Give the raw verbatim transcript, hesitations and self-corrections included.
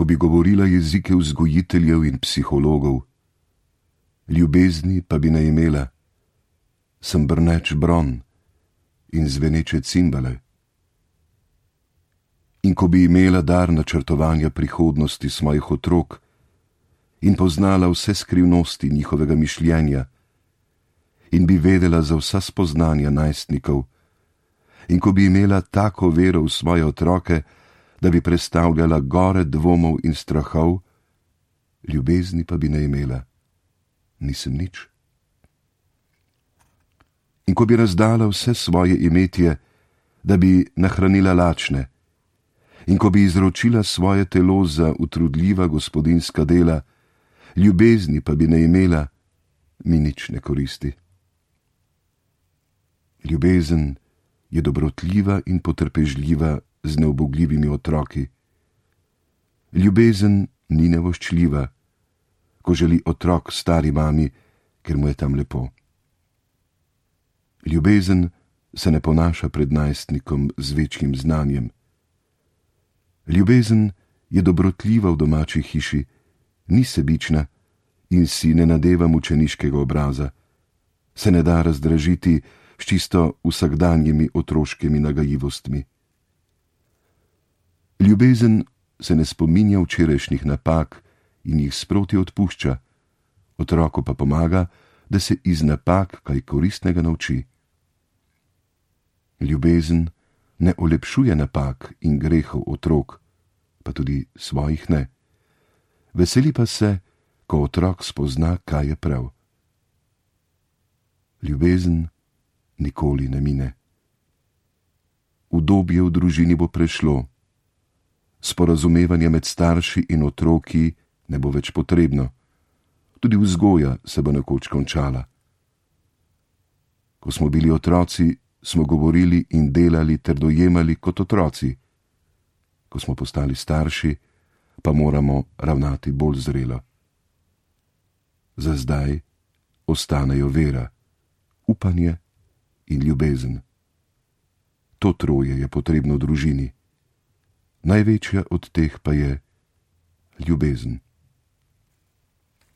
ko bi govorila jezike vzgojiteljev in psihologov, ljubezni pa bi ne imela, sem brneč bron in zveneče cimbale. In ko bi imela dar načrtovanja prihodnosti svojih otrok in poznala vse skrivnosti njihovega mišljenja in bi vedela za vsa spoznanja najstnikov, in ko bi imela tako vero v svoje otroke, da bi prestavljala gore dvomov in strahov, ljubezni pa bi ne imela, nisem nič. In ko bi razdala vse svoje imetje, da bi nahranila lačne, in ko bi izročila svoje telo za utrudljiva gospodinjska dela, ljubezni pa bi ne imela, mi nič ne koristi. Ljubezen je dobrotljiva in potrpežljiva z neubogljivimi otroki. Ljubezen ni nevoščljiva, ko želi otrok stari mami, ker mu je tam lepo. Ljubezen se ne ponaša pred najstnikom z večjim znanjem. Ljubezen je dobrotljiva v domači hiši, ni sebična in si ne nadeva mučeniškega obraza, se ne da razdražiti s čisto vsakdanjimi otroškimi nagajivostmi. Ljubezen se ne spominja včerajšnjih napak in jih sproti odpušča, otroku pa pomaga, da se iz napak kaj koristnega nauči. Ljubezen ne olepšuje napak in grehov otrok, pa tudi svojih ne. Veseli pa se, ko otrok spozna, kaj je prav. Ljubezen nikoli ne mine. Udobje v družini bo prešlo, sporazumevanje med starši in otroki ne bo več potrebno, tudi vzgoja se bo nekoč končala. Ko smo bili otroci, smo govorili in delali ter dojemali kot otroci. Ko smo postali starši, pa moramo ravnati bolj zrelo. Za zdaj ostanejo vera, upanje in ljubezen. To troje je potrebno v družini. Največja od teh pa je ljubezen.